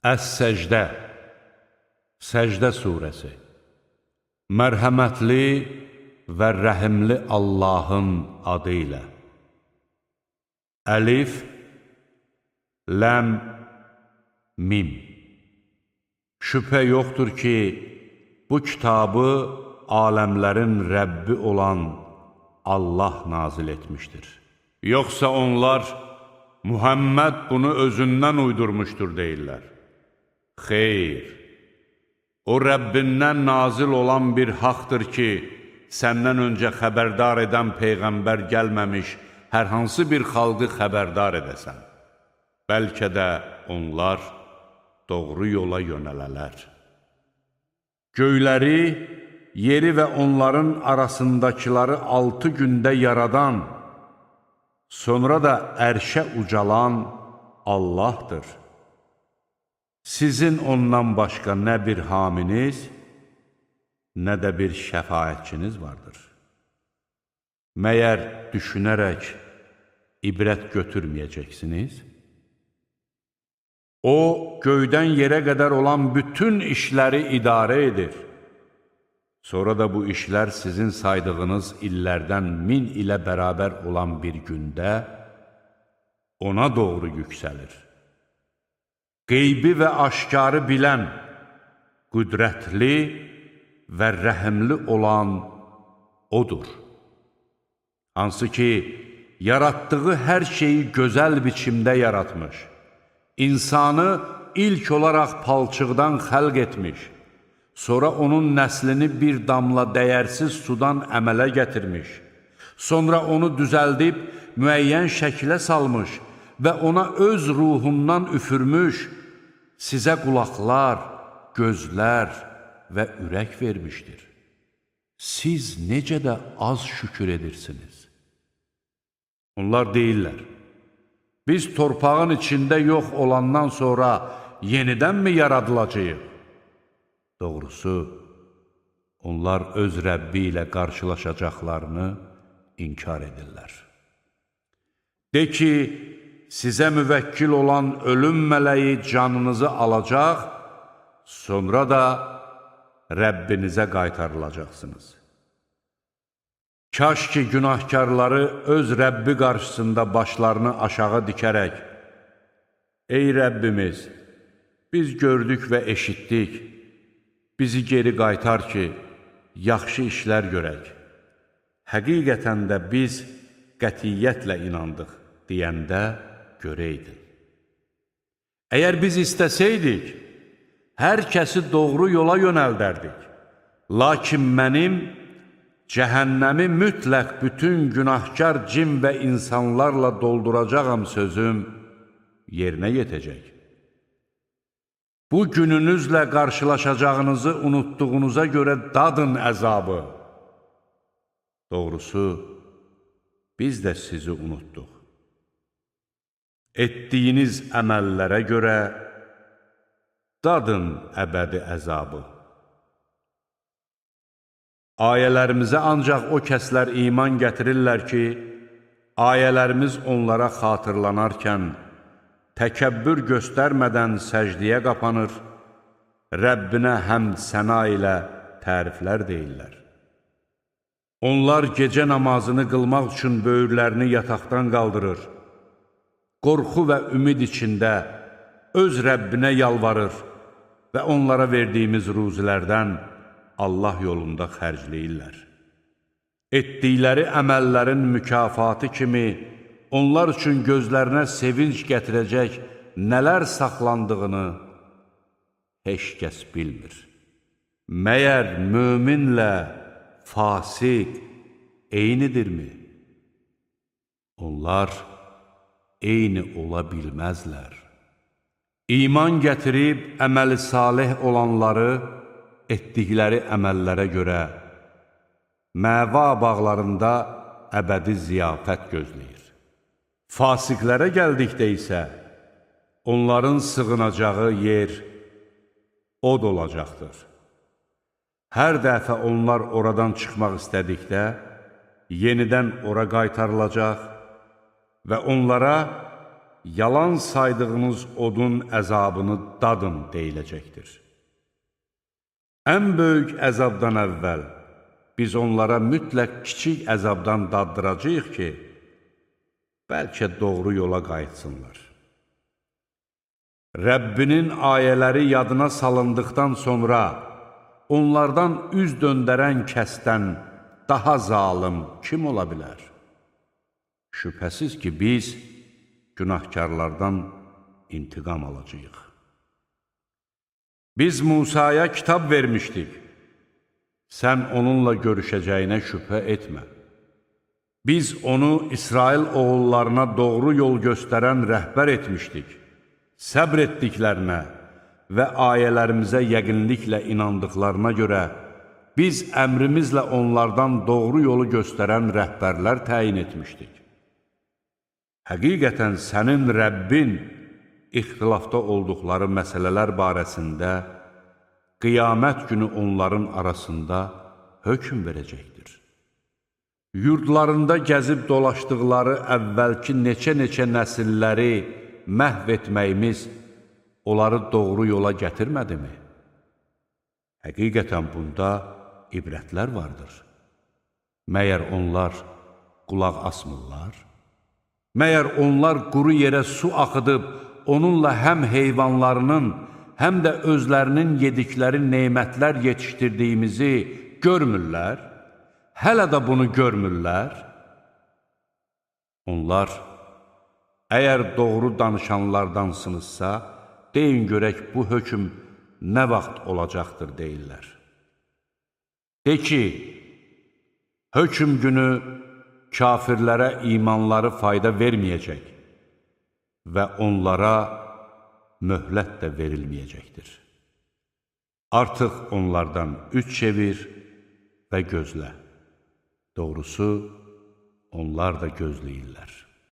Əs-Səcdə, Səcdə surəsi. Mərhəmətli və rəhimli Allahın adı ilə. Əlif, Ləm, Mim. Şübhə yoxdur ki, bu kitabı aləmlərin Rəbbi olan Allah nazil etmişdir. Yoxsa onlar, Muhammed bunu özündən uydurmuşdur deyirlər. Xeyr, o Rəbbindən nazil olan bir haqdır ki, səndən öncə xəbərdar edən Peyğəmbər gəlməmiş hər hansı bir xalqı xəbərdar edəsən. Bəlkə də onlar doğru yola yönələlər. Göyləri, yeri və onların arasındakiləri 6 gündə yaradan, sonra da ərşə ucalan Allahdır. Sizin ondan başqa nə bir haminiz, nə də bir şəfaətçiniz vardır. Məyər düşünərək ibrət götürməyəcəksiniz? O, göydən yerə qədər olan bütün işləri idarə edir. Sonra da bu işlər sizin saydığınız illərdən 1000 ilə bərabər olan bir gündə ona doğru yüksəlir. Qeybi və aşkarı bilən, qüdrətli və rəhimli olan odur. Hansı ki, yaratdığı hər şeyi gözəl biçimdə yaratmış, insanı ilk olaraq palçıqdan xəlq etmiş, sonra onun nəslini bir damla dəyərsiz sudan əmələ gətirmiş, sonra onu düzəldib müəyyən şəkilə salmış və ona öz ruhundan üfürmüş, sizə qulaqlar, gözlər və ürək vermişdir. Siz necə də az şükür edirsiniz. Onlar deyirlər, biz torpağın içində yox olandan sonra yenidənmi yaradılacağıq? Doğrusu, onlar öz Rəbbi ilə qarşılaşacaqlarını inkar edirlər. De ki, sizə müvəkkil olan ölüm mələyi canınızı alacaq, sonra da Rəbbinizə qaytarılacaqsınız. Kaş ki, günahkarları öz Rəbbi qarşısında başlarını aşağı dikərək, ey Rəbbimiz, biz gördük və eşitdik, bizi geri qaytar ki, yaxşı işlər görək. Həqiqətən də biz qətiyyətlə inandıq deyəndə görəydin. Əgər biz istəsəydik, hər kəsi doğru yola yönəldərdik. Lakin mənim cəhənnəmi mütləq bütün günahkar cin və insanlarla dolduracağam sözüm yerinə yetəcək. Bu gününüzlə qarşılaşacağınızı unutduğunuza görə dadın əzabı. Doğrusu, biz də sizi unutduq. Etdiyiniz əməllərə görə dadın əbədi əzabı. Ayələrimizə ancaq o kəslər iman gətirirlər ki, ayələrimiz onlara xatırlanarkən, təkəbbür göstərmədən səcdiyə qapanır, Rəbbinə həmd səna ilə təriflər deyirlər. Onlar gecə namazını qılmaq üçün böyürlərini yataqdan qaldırır, qorxu və ümid içində öz Rəbbinə yalvarır və onlara verdiyimiz ruzilərdən Allah yolunda xərcləyirlər. Etdikləri əməllərin mükafatı kimi onlar üçün gözlərinə sevinç gətirəcək nələr saxlandığını heç kəs bilmir. Məyər möminlə fasiq eynidirmi? Onlar eyni ola bilməzlər. İman gətirib əməli salih olanları etdikləri əməllərə görə məva bağlarında əbədi ziyafət gözləyir. Fasiqlərə gəldikdə isə onların sığınacağı yer od olacaqdır. Hər dəfə onlar oradan çıxmaq istədikdə yenidən ora qaytarılacaq və onlara yalan saydığınız odun əzabını dadın deyiləcəkdir. Ən böyük əzabdan əvvəl biz onlara mütləq kiçik əzabdan daddıracağıq ki, bəlkə doğru yola qayıtsınlar. Rəbbinin ayələri yadına salındıqdan sonra onlardan üz döndərən kəsdən daha zalım kim ola bilər? Şübhəsiz ki, biz günahkarlardan intiqam alacağıq. Biz Musaya kitab vermişdik. Sən onunla görüşəcəyinə şübhə etmə. Biz onu İsrail oğullarına doğru yol göstərən rəhbər etmişdik. Səbr etdiklərinə və ayələrimizə yəqinliklə inandıqlarına görə biz əmrimizlə onlardan doğru yolu göstərən rəhbərlər təyin etmişdik. Həqiqətən sənin Rəbbin ixtilafda olduqları məsələlər barəsində qiyamət günü onların arasında hökm verəcəkdir. Yurdlarında gəzib dolaşdıqları əvvəlki neçə-neçə nəsilləri məhv etməyimiz onları doğru yola gətirmədimi? Həqiqətən bunda ibrətlər vardır. Məyər onlar qulaq asmırlar? Məyər onlar quru yerə su axıdıb, onunla həm heyvanlarının, həm də özlərinin yedikləri neymətlər yetişdirdiyimizi görmürlər? Hələ də bunu görmürlər? Onlar, əgər doğru danışanlardansınızsa, deyin görək bu hökm nə vaxt olacaqdır deyirlər. De ki, hökm günü kafirlərə imanları fayda verməyəcək və onlara möhlət də verilməyəcəkdir. Artıq onlardan üç çevir və gözlə. Doğrusu, onlar da gözləyirlər.